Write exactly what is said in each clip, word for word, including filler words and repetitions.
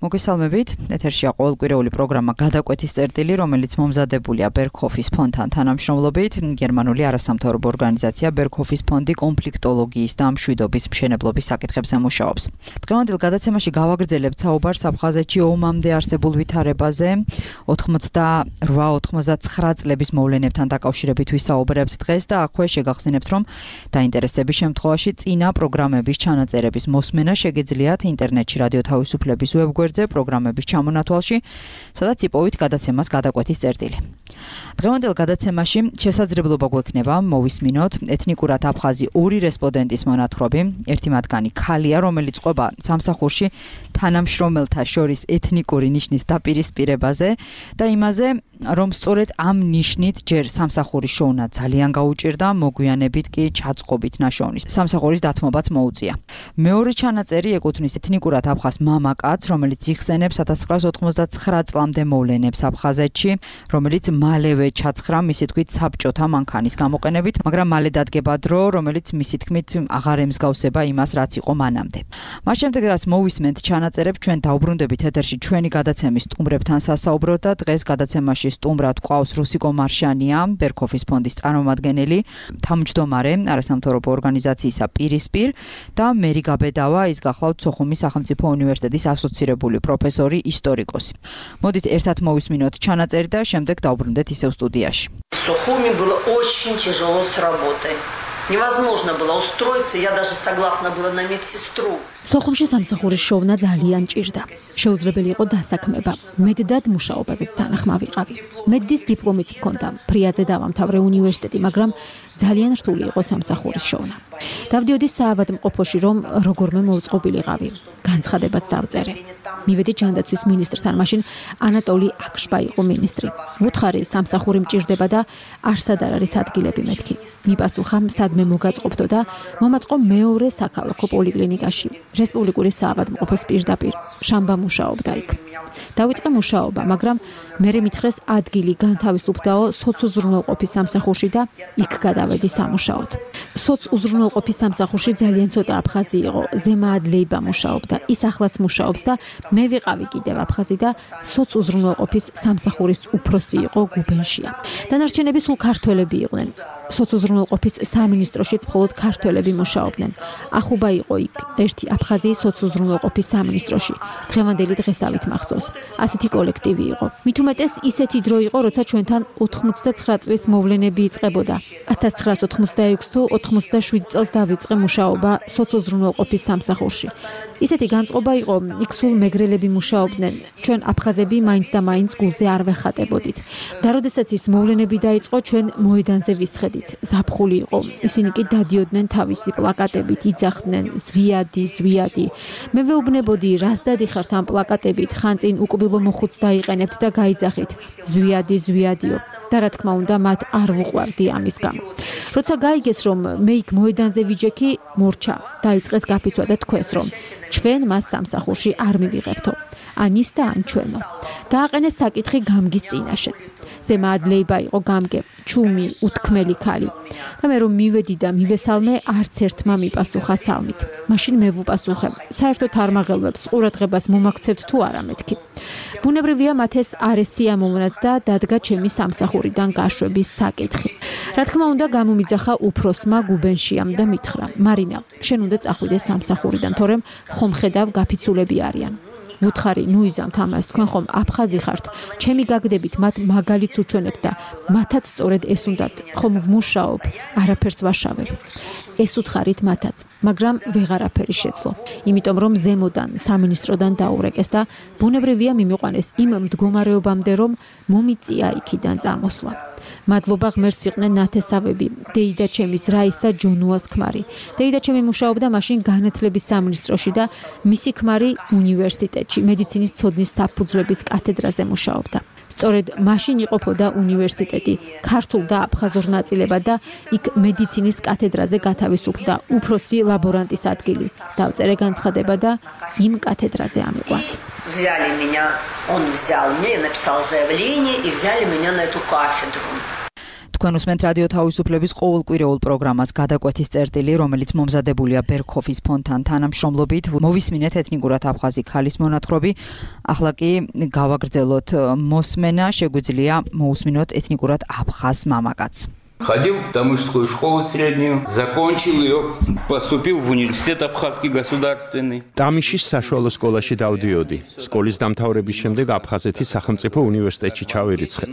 მოგესალმებით, ეთერშია ყოველკვირეული პროგრამა გადაკვეთის წერტილი, რომელიც მომზადებულია ბერგჰოფის ფონდთან თანამშრომლობით. გერმანული არასამთავრობო ორგანიზაცია ბერგჰოფის ფონდი კონფლიქტოლოგიის და მშვიდობის მშენებლობის საკითხებზე მუშაობს. დღევანდელ გადაცემაში გავაგრძელებთ საუბარს აფხაზეთში ომამდე არსებულ ვითარებაზე. ოცდაოთხ ოცდაათი წლების მოვლენებთან დაკავშირებით ვისაუბრებთ დღეს და აქვე შეგახსენებთ, რომ დაინტერესების შემთხვევაში წინა პროგრამების ჩანაწერების მოსმენა შეგიძლიათ ინტერნეტში რადიო თავისუფლების ვებგვერდზე პროგრამების ჩამონათვალში, სადაც იპოვით გადაცემას გადაკვეთის წერტილი. დღევანდელ გადაცემაში შესაძლებლობა გვექნება მოვისმინოთ ეთნიკურად აფხაზი ორი რესპონდენტის მონათხრობი. ერთი მათგანი ქალია, რომელიც ყვება სამსახურში თანამშრომელთა შორის ეთნიკური ნიშნით დაპირისპირებაზე და იმაზე, რომ სწორედ ამ ნიშნით ჯერ სამსახურის შოვნა ძალიან გაუჭირდა, მოგვიანებით კი ჩაწყობით ნაშოვნის სამსახურის დათმობაც მოუწია. მეორე ჩანაწერი ეკუთვნის ეთნიკურად აფხაზ მამაკაცს, რომელიც იხსენებს ათას ცხრაას ოცდაათი წლამდე მოვლენებს აფხაზეთში, რომელიც მალევე ჩაცხრა მისი თქმით საბჭოთა მანქანის გამოყენებით, მაგრამ მალე დადგება დრო, რომელიც მისი თქმით აღარ ემსგავსება იმას, რაც იყო მანამდე. მას შემდეგ რაც მოვისმენთ ჩანაწერებს, ჩვენ დაუბრუნდებით ეთერში ჩვენი გადაცემის სტუმრებთან სასაუბროდ და დღეს გადაცემაში სტუმრად გვყავს რუსიკო მარშანია, ბერგჰოფის ფონდის წარმომადგენელი, თავმჯდომარე არასამთავრობო ორგანიზაციისა პირისპირ და მერი გაბედავა, ის გახლავთ სოხუმის სახელმწიფო უნივერსიტეტის ასოცირებული პროფესორი, ისტორიკოსი. მოდით ერთად მოვისმინოთ ჩანაწერი და შემდეგ დაუბრუნდეთ ისევ სტუდიაში. В Сухуми было очень тяжело с работой. Невозможно было устроиться, я даже согласна была на медсестру. სოხუმში სამსახურის შოვნა ძალიან ჭირდა. შეუძლებელი იყო დასაქმება. მედდად მუშაობაზეც თანახმა ვიყავი. მედდის დიპლომიც მქონდა. ფრიაძე დავამთავრე უნივერსიტეტი, მაგრამ ძალიან რთული იყო სამსახურის შოვნა. დავდიოდი საავადმყოფოში, რომ როგორმე მოუწყობილიყავი. განცხადებაც დავწერე. მივედი ჯანდაცვის მინისტრთან, მაშინ ანატოლი აკშბა იყო მინისტრი. ვუთხარი სამსახური მჭირდება და არსად არ არის ადგილები მეთქი. მიპასუხა სადმე მოგაწყობდო და მომაწყო მეორე საქალაქო პოლიკლინიკაში. რესპუბლიკური საავადმყოფოს პირდაპირ. შამბა მუშაობდა იქ. დავიწყე მუშაობა, მაგრამ მერე მითხრეს ადგილი განთავისუფლდაო სოცუზრუნველყოფის სამსახურში და იქ გადავედი სამუშაოდ. სოცუზრუნველყოფის სამსახურში ძალიან ცოტა აფხაზი იყო. ზემაად ლეიბა მუშაობდა. ის ახლაც მუშაობს და მე ვიყავი კიდევ აფხაზი და სოცუზრუნველყოფის სამსახურის უფროსი იყო გუბენშია. დანარჩენები სულ ქართველები იყვნენ. სოცუზრუნველყოფის სამინისტროშიც მხოლოდ ქართველები მუშაობდნენ. ახუბა იყო იქ ერთი აფხაზი სოცუზრუნველყოფის სამინისტროში. დღევანდელი დღესავით მახსოვს. ასეთი კოლექტივი იყო. მით უმეტეს ისეთი დრო იყო, როცა ჩვენთან ოცდაათი წლის მოვლენები იწყებოდა. ათას ცხრაას ოცდაექვსი თუ ოცდაშვიდი წელს დავიწყე მუშაობა სოცუზრუნველყოფის სამსახურში. ისეთი განწყობა იყო, იქ სულ მეგრელები მუშაობდნენ. ჩვენ აფხაზები მაინც და მაინც გულზე არ ვეხატებოდით. და როდესაც ის მოვლენები დაიწყო, ჩვენ მოედანზე ვისხედით. ზაფხული იყო. ისინი კი დადიოდნენ თავისი პლაკატებით, იძახდნენ ზვიადი, ზვიადი. მე ვეუბნებოდი, რას დადიხართ ამ პლაკატებით, ხან წინ უკბილო მოხუც დაიყენებთ და გაიძახით ზვიადი, ზვიადიო. და რა თქმა უნდა, მათ არ ვუყვარდი ამის გამო. როცა გაიგეს, რომ მე იქ მოედანზე ვიჯექი, მორჩა, დაიწყეს გაფიცვა და თქვეს, რომ ჩვენ მას სამსახურში არ მივიღებთო. ან ის და ან ჩვენო. დააყენეს საკითხი გამგის წინაშეც. ზემაად ლეიბა იყო გამგე, ჩუმი, უთქმელი ქალი. და მე რომ მივედი და მივესალმე, არც ერთმა მიპასუხა სალმით. მაშინ მე ვუპასუხე, საერთოდ არ მაღელვებს ყურადღებას მომაქცევთ თუ არა მეთქი. ბუნებრივია მათ ეს არ ესიამოვნათ და დადგა ჩემი სამსახურიდან გაშვების საკითხი. რა თქმა უნდა, გამომიძახა უფროსმა გუბენშიამ და მითხრა, მარინა, შენ უნდა წახვიდე სამსახურიდან, თორემ ხომ ხედავ გაფიცულები არიან. ვუთხარი, ნუ იზამთ ამას, თქვენ ხომ აფხაზი ხართ, ჩემი გაგდებით მათ მაგალითს უჩვენებთ და მათაც სწორედ ეს უნდათ, ხომ ვმუშაობ, არაფერს ვაშავებ. ეს უთხარით მათაც, მაგრამ ვეღარაფერი შეძლო. იმიტომ რომ ზემოდან, სამინისტროდან დაურეკეს და ბუნებრივია მიმიყვანეს იმ მდგომარეობამდე, რომ მომიწია იქიდან წამოსვლა. მადლობა ღმერთს იყვნენ ნათესავები, დეიდაჩემის რაისა ჯონუას ქმარი. დეიდაჩემი მუშაობდა მაშინ განათლების სამინისტროში და მისი ქმარი უნივერსიტეტში, მედიცინის ცოდნის საფუძვლების კათედრაზე მუშაობდა. სწორედ მაშინ იყოფოდა უნივერსიტეტი, ქართულ და აფხაზურ ნაწილებად და იქ მედიცინის კათედრაზე გათავისუფლდა უფროსი ლაბორანტის ადგილი. დავწერე განცხადება და იმ კათედრაზე ამიყვანეს. Взяли меня, он взял меня, я написал заявление и взяли меня на эту кафедру. თქვენ უსმენთ რადიო თავისუფლების ყოველკვირეულ პროგრამას გადაკვეთის წერტილი, რომელიც მომზადებულია ბერქოფის ფონდთან თანამშრომლობით. მოვისმინეთ ეთნიკურად აფხაზი ქალის მონათხრობი. ახლა კი გავაგრძელოთ მოსმენა, შეგვიძლია მოусმინოთ ეთნიკურად აფხაზ მამაკაცს. Ходил в Тамышскую школу среднюю, закончил ее, поступил в университет Абхазский государственный. Тамიშის საშუალო სკოლაში დავდიოდი. სკოლის დამთავრების შემდეგ აფხაზეთის სახელმწიფო უნივერსიტეტში ჩავირიცხე.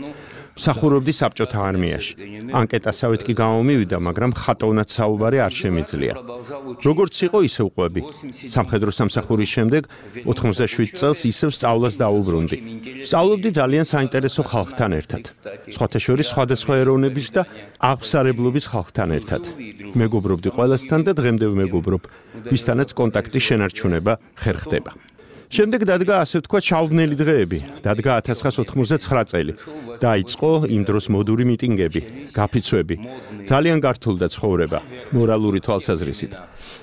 მსახურობდი საბჭოთა არმიაში. ანკეტასავით კი გამომივიდა, მაგრამ ხატოვნად საუბარი არ შემიძლია. როგორც იყო, ისე ვყვები. სამხედრო სამსახურის შემდეგ ოთხმოცდაშვიდ წელს ისევ სწავლას დაუბრუნდი. სწავლობდი ძალიან საინტერესო ხალხთან ერთად. სხვათა შორის სხვადასხვა ეროვნების და აღმსარებლობის ხალხთან ერთად. მეგობრობდი ყველასთან და დღემდე ვმეგობრობ, ვისთანაც კონტაქტის შენარჩუნება ხერხდება. შემდეგ დადგა ასე ვთქვათ შავბნელი დღეები, დადგა ათას ცხრაას ოთხმოცდაცხრა წელი. დაიწყო იმ დროს მოდური მიტინგები, გაფიცვები. ძალიან გართულდა ცხოვრება, მორალური თვალსაზრისით.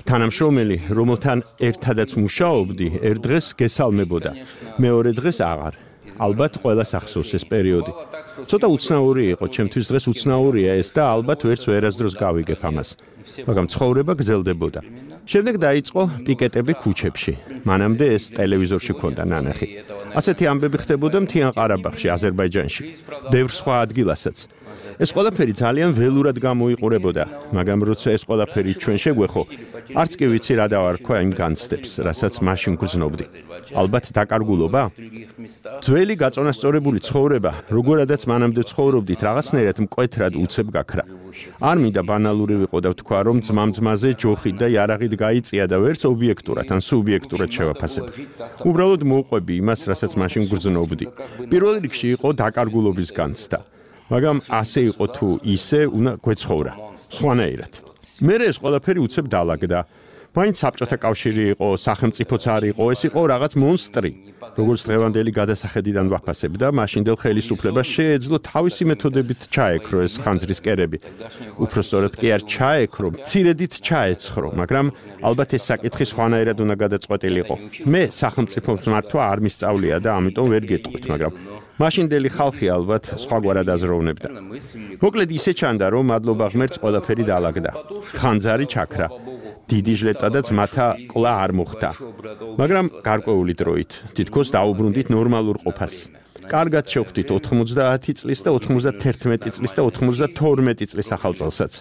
თანამშრომელი, რომელთან ერთადაც მუშაობდი, ერთ დღეს გესალმებოდა, მეორე დღეს აღარ. ალბათ ყველას ახსოვს ეს პერიოდი. ცოტა უცნაური იყო, ჩემთვის დღეს უცნაურია ეს და ალბათ ვერც ვერასდროს გავიგებ ამას. მაგრამ ცხოვრება გრძელდებოდა. შემდეგ დაიწყო პიკეტები ქუჩებში. მანამდე ეს ტელევიზორში ჰქონდა ნანახი. ასეთი ამბები ხდებოდა მთიან ყარაბაღში, აზერბაიჯანში, ბევრ სხვა ადგილასაც. ეს ყველაფერი ძალიან ველურად გამოიყურებოდა, მაგრამ როცა ეს ყველაფერი ჩვენ შეგვეხო, არც კი ვიცი რა დავარქვა იმ განცდებს, რასაც მაშინ გრძნობდი. ალბათ დაკარგულობა? ძველი გაწონასწორებული ცხოვრება, როგორადაც მანამდე ცხოვრობდით, რაღაცნაირად მკვეთრად უცებ გაქრა. არ მინდა ბანალური ვიყო და ვთქვა, რომ ძმამ-ძმაზე ჯოხით და იარაღით გაიწია და ვერც ობიექტურად ან სუბიექტურად შევაფასებ. უბრალოდ მოვყვები იმას, რასაც მაშინ გრძნობდი. პირველ რიგში იყო დაკარგულობის განცდა. მაგრამ ასე იყო თუ ისე უნდა გვეცხოვრა, სხვანაირად. მერე ეს ყველაფერი უცებ დაალაგდა. მაინც საბჭოთა კავშირი იყო, სახელმწიფოც არ იყო, ეს იყო რაღაც მონსტრი. როგორც დღევანდელი გადასახედიდან ვაფასებ და მაშინდელ ხელისუფლებას შეეძლო თავისი მეთოდებით ჩაექრო ეს ხანძრის კერები. უფრო სწორად კი არ ჩაექრო, მცირედით ჩაეცხრო, მაგრამ ალბათ ეს საკითხი სხვანაირად უნდა გადაწყვეტილიყო. მე სახელმწიფოს მართვა არ მისწავლია და ამიტომ ვერ გეტყვით, მაგრამ მაშინდელი ხალხი ალბათ სხვაგვარად აზროვნებდა. მოკლედ ისე ჩანდა, რომ მადლობა ღმერთს ყველაფერი დაალაგდა. ხანძარი ჩაქრა. დიდი ჟლეტა და ძმათა ყლა არ მოხდა. მაგრამ გარკვეული დროით თითქოს დაუბრუნდით ნორმალურ ყოფას. კარგად შევხვდით ოთხმოცდაათი წლის და ოთხმოცდათერთმეტი წლის და ოცდათორმეტი წლის ახალწელსაც.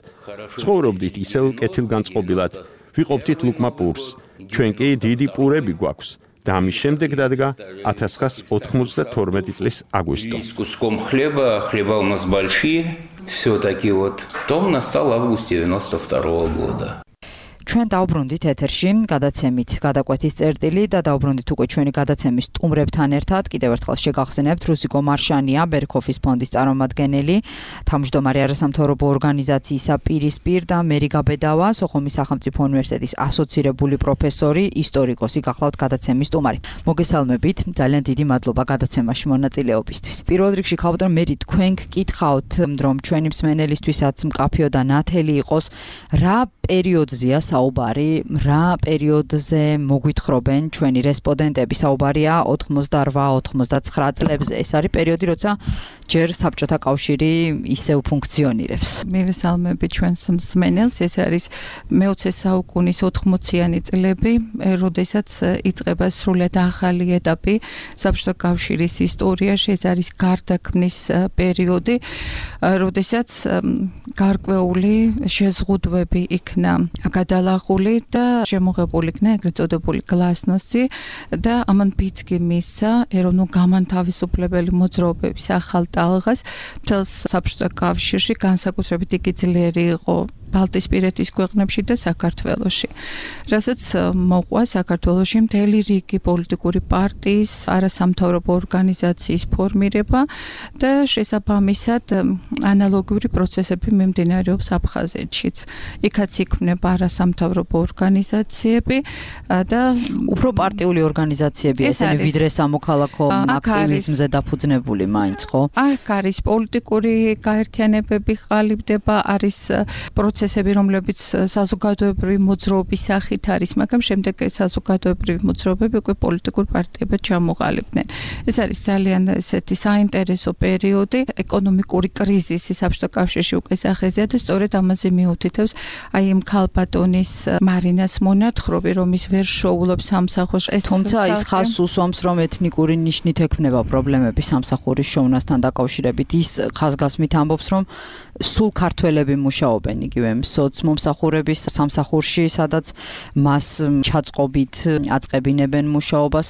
ცხოვრობდით ისევ კეთილგანწყობილად. ვიყოფდით ლუკმა პურს. ჩვენ კი დიდი პურები გვაქვს. და ამის შემდეგ დადგა ათას ცხრაას ოთხმოცდათორმეტი წლის აგვისტო. С куском хлеба, хлеба у нас большие, все-таки вот. Потом настал август девяносто второго года. ჩვენ დავბრუნდით ეთერში გადაცემით გადაკვეთის წერტილი და დავბრუნდით უკვე ჩვენი გადაცემის სტუმრებთან ერთად. კიდევ ერთხელ შეგახსენებთ, რუსიკო მარშანია, ბერქოფის ფონდის წარმომადგენელი, თავმჯდომარე არასამთავრობო ორგანიზაციისა პირისპირ და მერი გაბედავა, სოხუმის სახელმწიფო უნივერსიტეტის ასოცირებული პროფესორი, ისტორიკოსი გახლავთ გადაცემის სტუმარი. მოგესალმებით, ძალიან დიდი მადლობა გადაცემაში მონაწილეობისთვის. პირველ რიგში ხავთ რომ მერი თქვენ გკითხავთ, რომ ჩვენი მსმენელისთვისაც მკაფიო და ნათელი იყოს, რა პერიოდზეა საუბარი, რა პერიოდზე მოგვითხრობენ ჩვენი რესპონდენტები. საუბარია ოთხმოცდაოთხ ოცდაცხრა წლებზე. ეს არის პერიოდი, როცა ჯერ საბჭოთა კავშირი ისევ ფუნქციონირებს. მივესალმები ჩვენს მსმენელს. ეს არის მეოცე საუკუნის ოთხმოციანი წლები, როდესაც იწყება სრულად ახალი ეტაპი საბჭოთა კავშირის ისტორიაში. ეს არის გარდაქმნის პერიოდი, როდესაც გარკვეული შეზღუდვები იქნა გადალახული და შემოღებული იქნა ეგრეთ წოდებული გლასნოსი და ამან ფიცკი მისცა ეროვნულ გამანთავისუფლებელი მოძრაობების ახალ ტალღას. მთელს საბჭოთა კავშირში განსაკუთრებით იგი ძლიერი იყო ბალტიისპირეთის ქვეყნებში და საქართველოში. რასაც მოყვა საქართველოში მთელი რიგი პოლიტიკური პარტიის, არასამთავრობო ორგანიზაციის ფორმირება და შესაბამისად ანალოგიური პროცესები მიმდინარეობს აფხაზეთშიც. იქაც იქმნება არასამთავრობო ორგანიზაციები და უფრო პარტიული ორგანიზაციები, ესენი ვიდრე სამოქალაქო აქტივიზმზე დაფუძნებული მაინც, ხო? აქ არის პოლიტიკური გაერთიანებები ყალიბდება, არის პროცესი პროცესები, რომლებიც საზოგადოებრივი მოძრაობის სახით არის, მაგრამ შემდეგ ეს საზოგადოებრივი მოძრაობები უკვე პოლიტიკურ პარტიებად ჩამოყალიბდნენ. ეს არის ძალიან ესეთი საინტერესო პერიოდი, ეკონომიკური კრიზისი საბჭოთა კავშირში უკვე სახეზეა და სწორედ ამაზე მიუთითებს აი იმ ქალბატონის მარინას მონათხრობი, რომ ის ვერ შოულობს სამსახურს. თუმცა ის ხაზს უსვამს, რომ ეთნიკური ნიშნით ექმნება პრობლემები სამსახურის შოვნასთან დაკავშირებით. ის ხაზგასმით ამბობს, რომ სულ ქართველები მუშაობენ იგივე სოცმომსახურების სამსახურში, სადაც მას ჩაწყობით აწყებინებენ მუშაობას.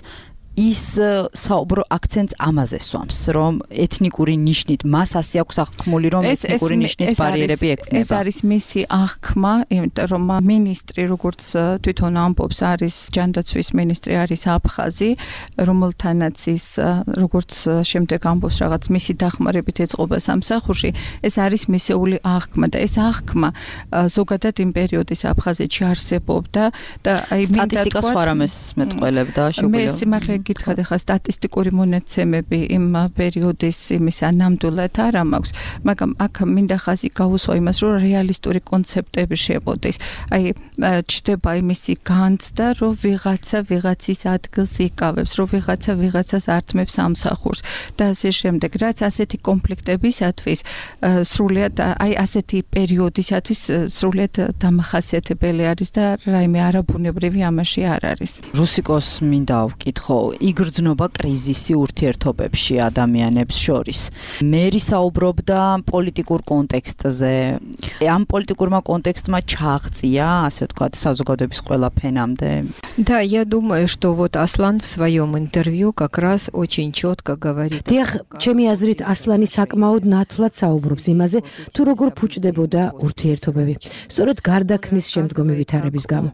ის საუბრო აქცენტს ამაზე სვამს, რომ ეთნიკური ნიშნით მას ასე აქვს აღქმული, რომ ეთნიკური ნიშნით ბარიერები ექმნება. ეს არის მისი აღქმა, იმიტომ რომ მინისტრი, როგორც თვითონ ამბობს, არის ჯანდაცვის მინისტრი, არის აფხაზი, რომელთანაც ის როგორც შემდეგ ამბობს, რაღაც მისი დახმარებით ეწყობა სამსახურში, ეს არის მისეული აღქმა და ეს აღქმა ზოგადად იმ პერიოდის აფხაზეთში არსებობდა და აი სტატისტიკა სხვა რამეს მეტყველებდა, შეგვიძლია გითხრათ ახლა სტატისტიკური მონაცემები იმ პერიოდის იმისა ნამდვილად არ მაქვს, მაგრამ აქ მინდა ხაზი გაუსვა იმას, რომ რეალისტური კონცეპტები შეყოდეს. აი ჩდება იმისი განცდა, რომ ვიღაცა ვიღაცის ადგილს იკავებს, რომ ვიღაცა ვიღაცას ართმევს სამსახურს და ასე შემდეგ. რაც ასეთი კონფლიქტებისათვის სრულიად აი ასეთი პერიოდისათვის სრულიად დამახასიათებელი არის და რაიმე არაბუნებრივი ამაში არ არის. რუსიკოს მინდა ვკითხო, იგრძნობა კრიზისი ურთიერთობებში ადამიანებს შორის. მერი საუბრობდა პოლიტიკურ კონტექსტზე. ამ პოლიტიკურმა контекстმა ჩააღწია, ასე ვთქვათ, საზოგადოების ყველა ფენამდე. Да, я думаю, что вот Аслан в своем интервью как раз очень четко говорит. დიახ, ჩემი აზრით ასლანი საკმაოდ ნათლად საუბრობს იმაზე, თუ როგორ ფუჭდებოდა ურთიერთობები. სწორედ გარდაქმნის შემდგომი ვითარების გამო.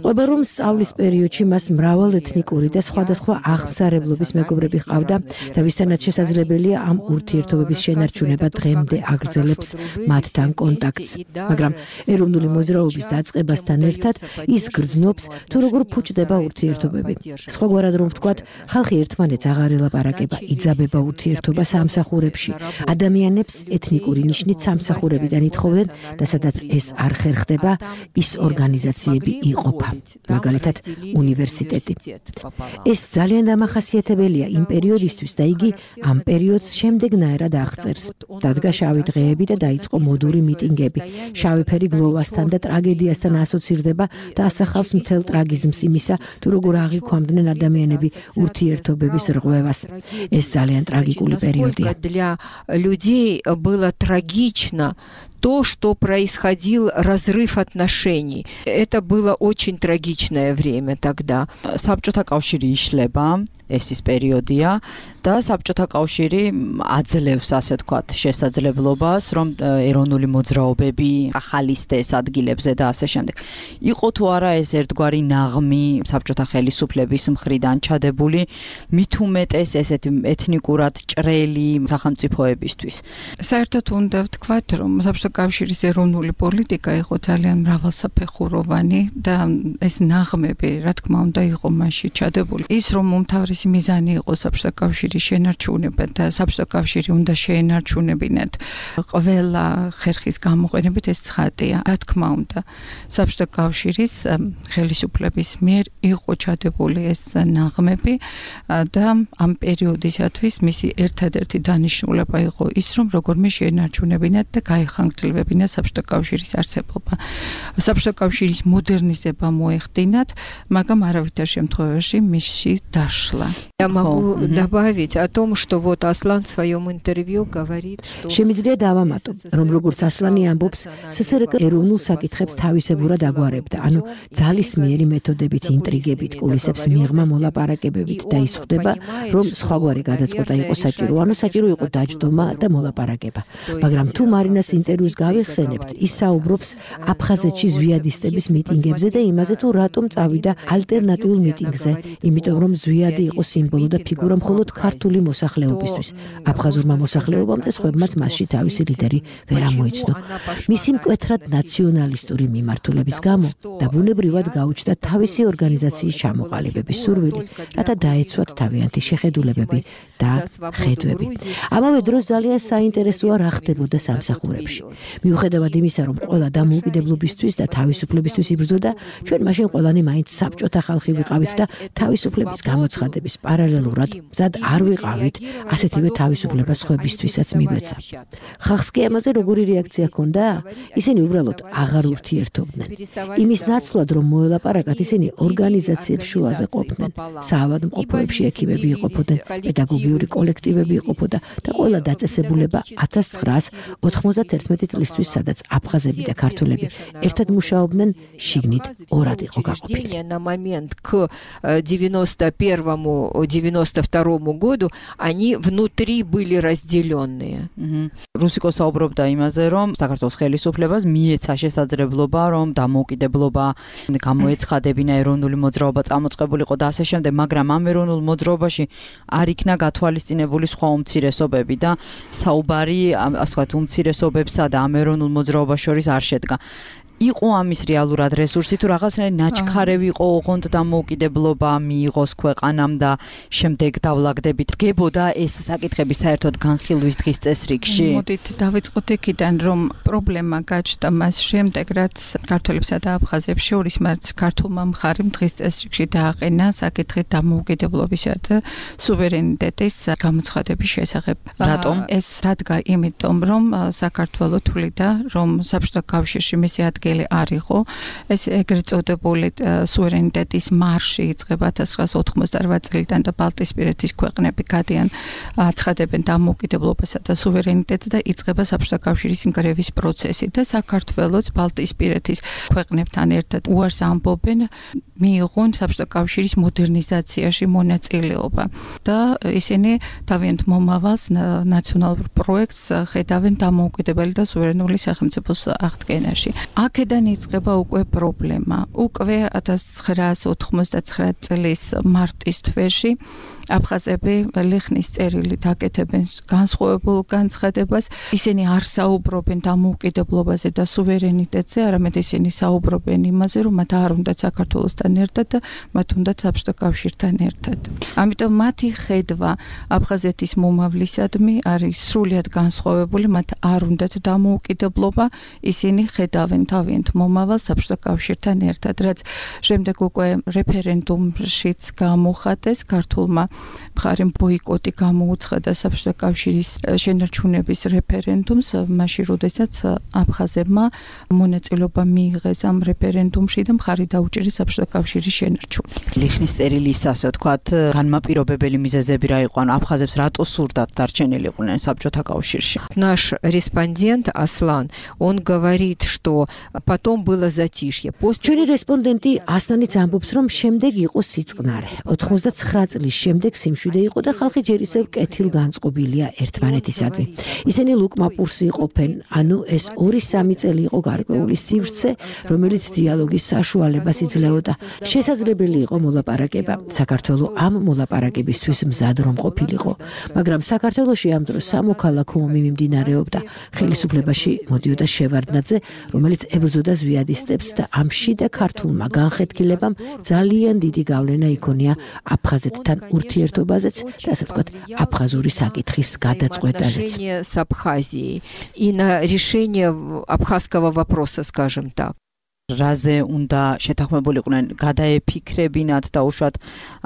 ყვება რომ სწავლის პერიოდში მას მრავალეთნიკური და სხვადასხვა აღმსარებლობის მეგობრები ჰყავდა და ვისთანაც შესაძლებელია ამ ურთიერთობების შენარჩუნება დღემდე აგრძელებს მათთან კონტაქტს. მაგრამ ეროვნული მოძრაობის დაწყებასთან ერთად ის გრძნობს, თუ როგორ ფუჭდება ურთიერთობები. სხვაგვარად რომ ვთქვათ, ხალხი ერთმანეთს აღარ ელაპარაკება, იძაბება ურთიერთობა სამსახურებში. ადამიანებს ეთნიკური ნიშნით სამსახურებიდან ითხოვდნენ და სადაც ეს არ ხერხდება, ის ორგანიზაციები იყოფა. მაგალითად, უნივერსიტეტი. ეს ძალიან დამახასიათებელია იმ პერიოდისთვის და იგი ამ პერიოდს შემდეგნაირად აღწერს. დადგა შავი დღეები და დაიწყო მოდური მიტინგები. შავი ფერი გლოვასთან და ტრაგედიასთან ასოცირდება და ასახავს მთელ ტრაგიზმს იმისა, თუ როგორ აღიქვამდნენ ადამიანები ურთიერთობების რღვევას. ეს ძალიან ტრაგიკული პერიოდია. Для людей было трагично то, что происходил разрыв отношений. Это было очень трагичное время тогда. საბჭოთა კავშირი იშლება, ეს ის პერიოდია და საბჭოთა კავშირი აძლევს, ასე ვთქვათ, შესაძლებლობას, რომ ეროვნული მოძრაობები ახალისდეს ადგილებზე და ასე შემდეგ. იყო თუ არა ეს ერთგვარი ნაღმი საბჭოთა ხელისუფლების მხრიდან ჩადებული, მით უმეტეს ესეთი ეთნიკურად ჭრელი სახელმწიფოებისთვის. საერთოდ უნდა ვთქვათ, რომ საბჭოთა კავშირის ეროვნული პოლიტიკა იყო ძალიან მრავალსაფეხუროვანი და ეს ნაღმები, რა თქმა უნდა, იყო მასში ჩადებული. ის რომ უმთავრესი მიზანი იყო საბჭოთა კავშირის შენარჩუნება და საბჭოთა კავშირი უნდა შეენარჩუნებინათ ყველა ხერხის გამოყენებით, ეს ცხადია. რა თქმა უნდა, საბჭოთა კავშირის ხელისუფლების მიერ იყო ჩადებული ეს ნაღმები და ამ პერიოდისათვის მისი ერთადერთი დანიშნულება იყო ის, რომ როგორმე შეენარჩუნებინათ და გაიხანგრძლივებინათ საბჭოთა კავშირის არსებობა. საბჭოთა კავშირის მოდერნიზება მოეხდინათ, მაგრამ არავითარ შემთხვევაში მისში დაშლა. Я могу добавить о том, что вот Аслан в своем интервью говорит, что შემიძლია დავამატო, რომ როგორც ასლანი ამბობს, სსრკ ეროვნულ საკითხებს თავისებურად აგვარებდა, ანუ ძალისმიერი მეთოდებით, ინტრიგებით, კულისებს მიღმა მოლაპარაკებებით და ის ხვდება, რომ სხვაგვარი გადაწყვეტა იყო საჭირო, ანუ საჭირო იყო დაჯდომა და მოლაპარაკება. მაგრამ თუ მარინას ინტერვიუს გავიხსენებთ, ის საუბრობს აფხაზეთში ზვიადისტების მიტინგებზე და იმაზე, თუ რატომ წავიდა ალტერნატიულ მიტინგზე, იმიტომ რომ ზვიადი იყო სიმბოლო და ფიგურა მხოლოდ ქართული მოსახლეობისთვის. აფხაზურმა მოსახლეობამ და სხვებმაც მასში თავისი ლიდერი ვერ ამოიცნო. მისი მკვეთრად ნაციონალისტური მიმართულების გამო და ბუნებრივად გაუჩნდა თავისი ორგანიზაციის ჩამოყალიბების სურვილი, რათა დაეცვათ თავიანთი შეხედულებები და ხედვები. ამავე დროს ძალიან საინტერესოა რა ხდებოდა სამსახურებში. მიუხედავად იმისა, რომ ყველა დამოუკიდებლობისთვის და თავისუფლებისთვის იბრძოდა, ჩვენ მაშინ ყველანი მაინც საბჭოთა ხალხი ვიყავით და თავისუფლების გამოცხადების პარალელურად მზად არ ვიყავით ასეთივე თავისუფლებას სხვებისთვისაც მიგვეცა. ხალხს კი ამაზე როგორი რეაქცია ჰქონდა? ისინი უბრალოდ აღარ ურთიერთობდნენ. იმის ნაცვლად, რომ მოელაპარაკათ, ისინი ორგანიზაციებს შუაზე ყოფდნენ. საავადმყოფოებში ექიმები იყოფოდნენ, პედაგოგიური კოლექტივები იყოფოდა და ყველა დაწესებულება ათას ცხრაას ოთხმოცდაათერთმეტი წლისთვის, სადაც აფხაზები და ქართველები ერთად მუშაობდნენ, შიგნით ორად იყო გაყოფილი. На момент к девяносто первому девяносто второму году они внутри были разделенные. რუსიკო საუბრობდა იმაზე, რომ საქართველოს ხელისუფლებას მიეცა შესაძლებლობა, რომ დამოუკიდებლობა გამოეცხადებინა, ეროვნული მოძრაობა წამოწყებულიყო და ასე შემდეგ, მაგრამ ამ ეროვნულ მოძრაობაში არ იქნა გათვალისწინებული სხვა უმცირესობები და საუბარი, ასე ვთქვათ, უმცირესობებსა და ამ ეროვნულ მოძრაობას შორის არ შედგა. იყო ამის რეალურად რესურსი თუ რაღაცნაირი ნაჩქარევი იყო ოღონდ დამოუკიდებლობა მიიღოს ქვეყანამ და შემდეგ დავლაგდებით დგებოდა ეს საკითხები საერთოდ განხილვის დღის წესრიგში? მოდით დავიწყოთ იქიდან, რომ პრობლემა გაჩნდა მას შემდეგ, რაც ქართველებსა და აფხაზებს შორის მათ ქართულმა მხარემ დღის წესრიგში დააყენა საკითხი დამოუკიდებლობისა და სუვერენიტეტის გამოცხადების შესახებ. რატომ? ეს დადგა იმიტომ, რომ საქართველო თვლიდა, რომ საბჭოთა კავშირში მისი ადგილი არ იყო. ეს ეგრეთ წოდებული სუვერენიტეტის მარში იწყება ათას ცხრაას ოთხმოცდაოთხ წლიდან და ბალტიისპირეთის ქვეყნები გადიან აცხადებენ დამოუკიდებლობასა და სუვერენიტეტს და იწყება საბჭოთა კავშირის ინგრევის პროცესი და საქართველოს ბალტიისპირეთის ქვეყნებთან ერთად უარს ამბობენ მიიღონ საბჭოთა კავშირის მოდერნიზაციაში მონაწილეობა და ისინი თავიანთ მომავალს ნაციონალურ პროექტს ხედავენ დამოუკიდებელი და სუვერენული სახელმწიფოს აღდგენაში. აქედან იწყება უკვე პრობლემა. უკვე ათას ცხრაას ოთხმოცდაცხრა წლის მარტის თვეში აფხაზები ლიხნის წერილით აკეთებენ განსხვავებულ განცხადებას. ისინი არ საუბრობენ დამოუკიდებლობაზე და სუვერენიტეტზე, არამედ ისინი საუბრობენ იმაზე, რომ მათ არ უნდათ საქართველოსთან ერთად და მათ უნდათ საბჭოთა კავშირთან ერთად. ამიტომ მათი ხედვა აფხაზეთის მომავლისადმი არის სრულიად განსხვავებული, მათ არ უნდათ დამოუკიდებლობა, ისინი ხედავენ თავიანთ მომავალს საბჭოთა კავშირთან ერთად, რაც შემდეგ უკვე რეფერენდუმშიც გამოხატეს ქართულმა მხარემ ბოიკოტი გამოუცხადა საბჭოთა კავშირის შენარჩუნების რეფერენდუმს, მაშინ როდესაც აფხაზებმა მონაწილეობა მიიღეს ამ რეფერენდუმში და მხარი დაუჭირეს საბჭოთა კავშირის შენარჩუნებას. ლიხნის წერილის, ასე ვთქვათ, განმაპირობებელი მიზეზები რა იყო? ანუ აფხაზებს რატო სურდათ დარჩენილიყვნენ საბჭოთა კავშირში? Наш респондент Аслан, он говорит, что потом было затишье. ჩვენი რესპონდენტი ასლანიც ამბობს, რომ შემდეგ იყო სიწყნარე. ოთხმოცდაცხრა წლის შემდეგ სიმშვიდე იყო და ხალხი ჯერ ისევ კეთილგანწყობილია ერთმანეთისადმი. ისინი ლუკმაპურსი იყოფენ, ანუ ეს ორი სამი წელი იყო გარკვეული სივრცე, რომელიც დიალოგის საშუალებას იძლეოდა. შესაძლებელი იყო მოლაპარაკება. საქართველო ამ მოლაპარაკებისთვის მზად რომ ყოფილიყო, მაგრამ საქართველოში ამ დროს სამოქალაქო ომი მიმდინარეობდა. ხელისუფლებაში მოდიოდა შევარდნაძე, რომელიც ებრძოდა ზვიადისტებს და ამ შიდა ქართულმა განხეთქილებამ ძალიან დიდი გავლენა იქონია აფხაზეთთან ურთიერთობაზეც და ასე ვთქვათ, აფხაზური საკითხის გადაწყვეტაზეც. С Абхазией и на решение абхазского вопроса, скажем так. რაზე უნდა შეთანხმებულიყვნენ გადაეფიქრებინათ და უშუალოდ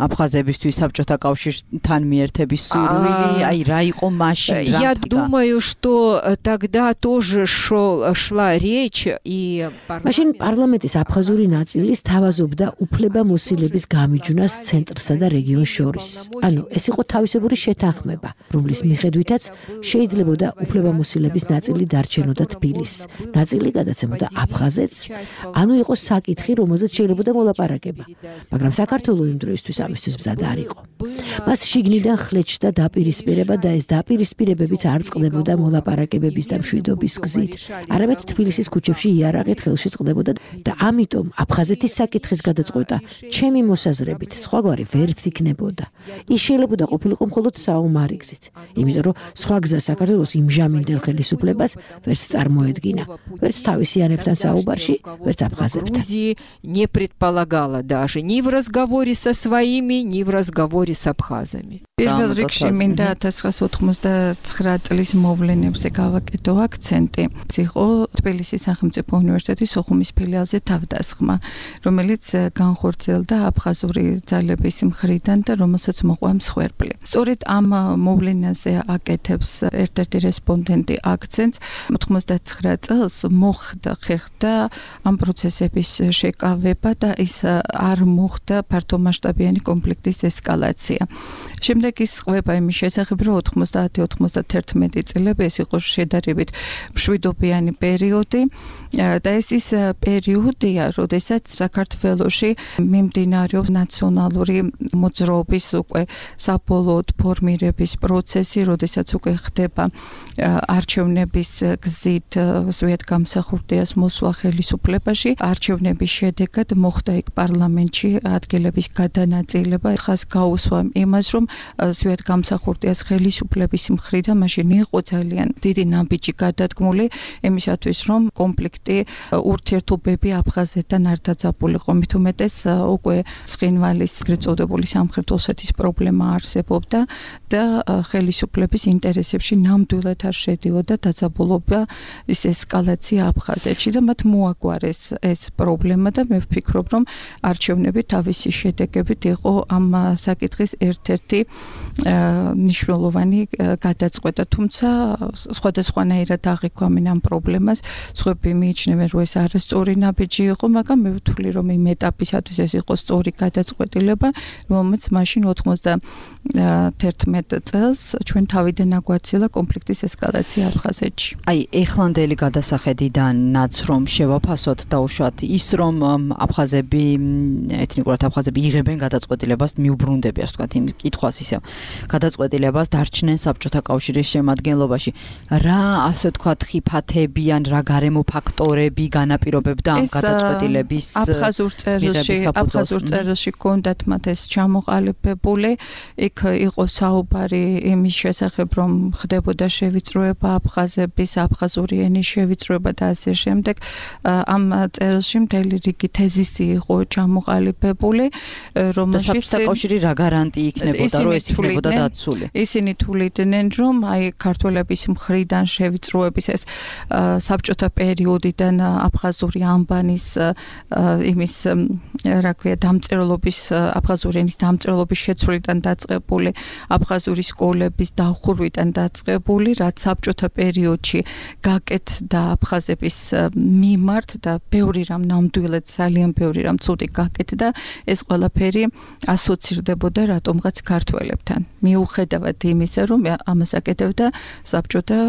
აფხაზებისთვის საბჭოთა კავშირთან მიერთების სურვილი, აი რა იყო მაშინ? Я думаю, что тогда тоже шел шла речь и მაშინ პარლამენტის აფხაზური ნაწილის თავაზობდა უფლებამოსილების გამიჯვნას ცენტრსა და რეგიონს შორის. ანუ ეს იყო თავისებური შეთანხმება, რომლის მიხედვითაც შეიძლებოდა უფლებამოსილების ნაწილი დარჩენოდა თბილისს, ნაწილი გადაცემოდა აფხაზეთს. ანუ იყო საკითხი, რომელზეც შეიძლება მოლაპარაკება. მაგრამ საქართველოს იმ დროისთვის ამისთვის მზად არ იყო. მას შიგნიდან ხლეჩდა დაპირისპირება და ეს დაპირისპირებებიც არ წყდებოდა მოლაპარაკებების და მშვიდობის გზით. არამედ თბილისის ქუჩებში იარაღით ხელში წყდებოდა და ამიტომ აფხაზეთის საკითხის გადაწყვეტა ჩემი მოსაზრებით სხვაგვარი ვერც იქნებოდა. ის შეიძლება ყოფილიყო მხოლოდ საომარი გზით, იმიტომ რომ სხვა გზა საქართველოს იმჟამინდელ ხელისუფლებას ვერც წარმოედგინა, ვერც თავისიანებთან საუბარში, ვერც აფხაზებთან. не предполагала даже ни в разговоре со своими, ни в разговоре с абхазами. პირველ რიგში მინდა ათას ცხრაასი ოცდაათმეტ წლის მოვლენებზე გავაკეთო აქცენტი. იყო თბილისის სახელმწიფო უნივერსიტეტის სოხუმის ფილიალზე თავდასხმა, რომელიც განხორციელდა აფხაზური ძალების მხრიდან და რომელსაც მოყვა მსხვერპლი. სწორედ ამ მოვლენაზე აკეთებს ერთ-ერთი რესპონდენტი აქცენტს. ოთხმოცდაცხრა წელს მოხდა ხერხდა ამ პროცესების შეკავება და ის არ მოხდა ფართომასშტაბიანი კონფლიქტის ესკალაცია. შემდეგ ის ყვება იმის შესახებ, რომ ოთხმოცდაათი ოცდაათმეტი წლები ეს იყო შედარებით მშვიდობიანი პერიოდი და ეს ის პერიოდია, როდესაც საქართველოში მიმდინარეობს ნაციონალური მოძრაობის უკვე საბოლოოდ ფორმირების პროცესი, როდესაც უკვე ხდება არჩევნების გზით ზვიადგამსახურდიას მოსვლა ხელისუფლებაში. არჩევნების შედეგად მოხდა იქ პარლამენტში ადგილების გადანაწილება. ხას გაუსვა იმას, რომ ზვიადგამსახურდიას ხელისუფლების მხრიდან მაშინ იყო ძალიან დიდი ნაბიჯი გადადგმული იმისათვის, რომ კონფლიქტი ურთიერთობები აფხაზეთთან არ დაძაბულიყო. მით უმეტეს უკვე ცხინვალის ეგრეთ წოდებული სამხრეთ ოსეთის პრობლემა არსებობდა და ხელისუფლების ინტერესებში ნამდვილად არ შედიოდა დაძაბულობა, ის ესკალაცია აფხაზეთში და მათ მოაგვარეს ეს პრობლემა და მე ვფიქრობ, რომ არჩევნები თავისი შედეგებით იყო ამ საკითხის ერთ-ერთი მნიშვნელოვანი გადაწყვეტა, თუმცა სხვადასხვანაირად აღიქვამენ ამ პრობლემას. სხვები მიიჩნევენ, რომ ეს არასწორი ნაბიჯი იყო, მაგრამ მე ვთვლი, რომ იმ ეტაპისათვის ეს იყო სწორი გადაწყვეტილება, რომელმაც მაშინ ოთხმოცდაათმეტ წელს ჩვენ თავიდან აგვაცილა კონფლიქტის ესკალაცია აფხაზეთში. აი, ეხლანდელი გადასახედიდანაც რომ შევაფასოთ დაუშვათ ის, რომ აფხაზები, ეთნიკურად აფხაზები იღებენ გადაწყვეტილებას, მიუბრუნდები, ასე ვთქვათ, იმ კითხვას ისევ გადაწყვეტილებას დარჩნენ საბჭოთა კავშირის შემადგენლობაში. რა, ასე ვთქვათ, ხიფათები ან რა გარემო ფაქტორები განაპირობებდა ამ გადაწყვეტილების აფხაზურ წერილში, აფხაზურ წერილში კონდათ მათ ეს ჩამოყალიბებული, იქ იყო საუბარი იმის შესახებ, რომ ხდებოდა შევიწროება აფხაზების, აფხაზური ენის შევიწროება და ასე შემდეგ. ამ წერილში მთელი რიგი თეზისი იყო ჩამოყალიბებული, რომელშიც საბჭოთა კავშირი რა გარანტი იქნებოდა, რომ ეს იქნებოდა დაცული. ისინი თვლიდნენ, რომ აი ქართველების მხრიდან შევიწროების ეს საბჭოთა პერიოდიდან აფხაზური ანბანის იმის რა ქვია დამწერლობის აფხაზური ენის დამწერლობის შეცვლიდან დაწყებული, აფხაზური სკოლების დახურვიდან დაწყებული, რაც საბჭოთა პერიოდში გაკეთდა აფხაზების მიმართ და ბევრი რამ ნამდვილად ძალიან ბევრი რამ ცუდი გაკეთდა, ეს ყველაფერი ასოცირდებოდა რატომღაც ქართველებთან. მიუხედავად იმისა, რომ ამას აკეთებდა საბჭოთა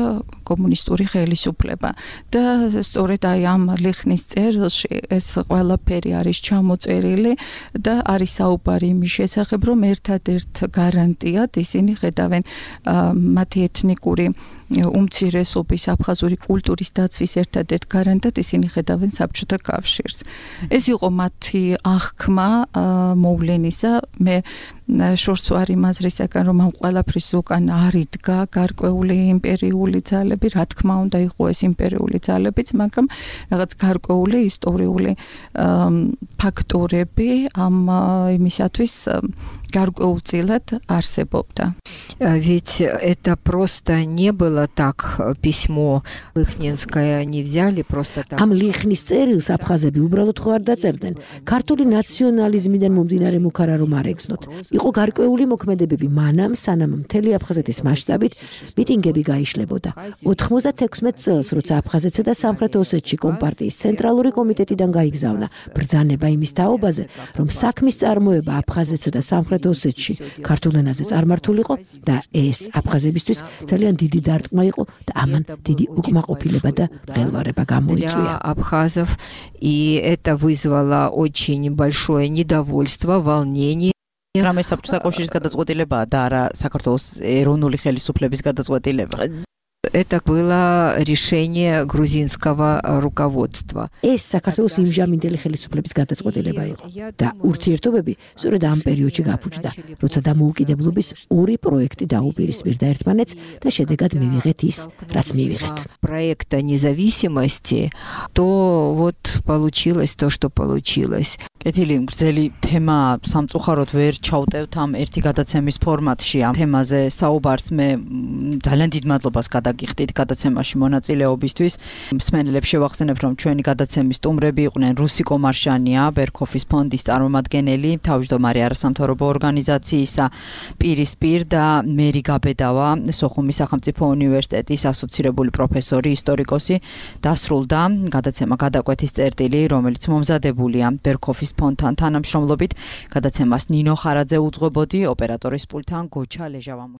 კომუნისტური ხელისუფლება და სწორედ აი ამ ლიხნის წერილში ეს ყველაფერი არის ჩამოწერილი და არის საუბარი იმის შესახებ, რომ ერთადერთ გარანტიად ისინი ხედავენ მათი ეთნიკური უმცირესობის აფხაზური კულტურის დაცვის ერთადერთ გარანტად ისინი ხედავენ საბჭოთა კავშირს. ეს იყო მათი აღქმა მოვლენისა. მე შორს ვარ იმ აზრისაგან, რომ ამ ყველაფრის უკან არ იდგა გარკვეული იმპერიული ძალები, რა თქმა უნდა იყო ეს იმპერიული ძალებიც, მაგრამ რაღაც გარკვეული ისტორიული факторები ამ იმისათვის გარკვეულწილად არსებობდა. Ведь это просто не было так, письмо Лихненское не взяли просто так. Ამ ლიხნის წერილს აფხაზები უბრალოდ ხო არ დაწერდნენ. ქართული ნაციონალიზმიდან მომდინარე მუქარა რომ არ ეგზნოთ. იყო გარკვეული მოქმედებები მანამ, სანამ მთელი აფხაზეთის მასშტაბით მიტინგები გაიშლებოდა. ოთხმოცდათექვსმეტ წელს, როცა აფხაზეთსა და სამხრეთ ოსეთში კომპარტიის ცენტრალური კომიტეტიდან გაიგზავნა ბრძანება იმის თაობაზე, რომ საქმის წარმოება აფხაზეთსა და სამხრეთ ოსეთში ქართულ ენაზე წარმართულიყო და ეს აფხაზებისთვის ძალიან დიდი დარტყმა იყო და ამან დიდი უკმაყოფილება და ღელვარება გამოიწვია. Абхазов, и это вызвало очень большое недовольство, волнение. რამე საბჭოთა კავშირის გადაწყვეტილებაა და არა საქართველოს ეროვნული ხელისუფლების გადაწყვეტილება. Это было решение грузинского руководства. ეს საქართველოს იმჟამინდელი ხელისუფლების გადაწყვეტილება იყო და ურთიერთობები სწორედ ამ პერიოდში გაფუჭდა, როცა დამოუკიდებლობის ორი პროექტი დაუპირისპირდა ერთმანეთს და შედეგად მივიღეთ ის, რაც მივიღეთ. Проекта независимости, то вот получилось то, что получилось. კეთილი, გრძელი თემა სამწუხაროდ ვერ ჩავტევთ ამ ერთი გადაცემის ფორმატში ამ თემაზე საუბარს. მე ძალიან დიდ მადლობას გადაგიხდით გადაცემაში მონაწილეობისთვის. მსმენელებს შევახსენებ, რომ ჩვენი გადაცემის სტუმრები იყვნენ რუსი კომარშანია, ბერქოფის ფონდის წარმომადგენელი, თავმჯდომარე არასამთავრობო ორგანიზაციისა პირისპირ და მერი გაბედავა, სოხუმის სახელმწიფო უნივერსიტეტის ასოცირებული პროფესორი, ისტორიკოსი. დასრულდა გადაცემა გადაკვეთის წერტილი, რომელიც მომზადებულია ბერქოფის ფონდთან თანამშრომლობით. გადაცემას ნინო ხარაძე უძღვებოდი, ოპერატორის პულტთან გოჩა ლეჟავა.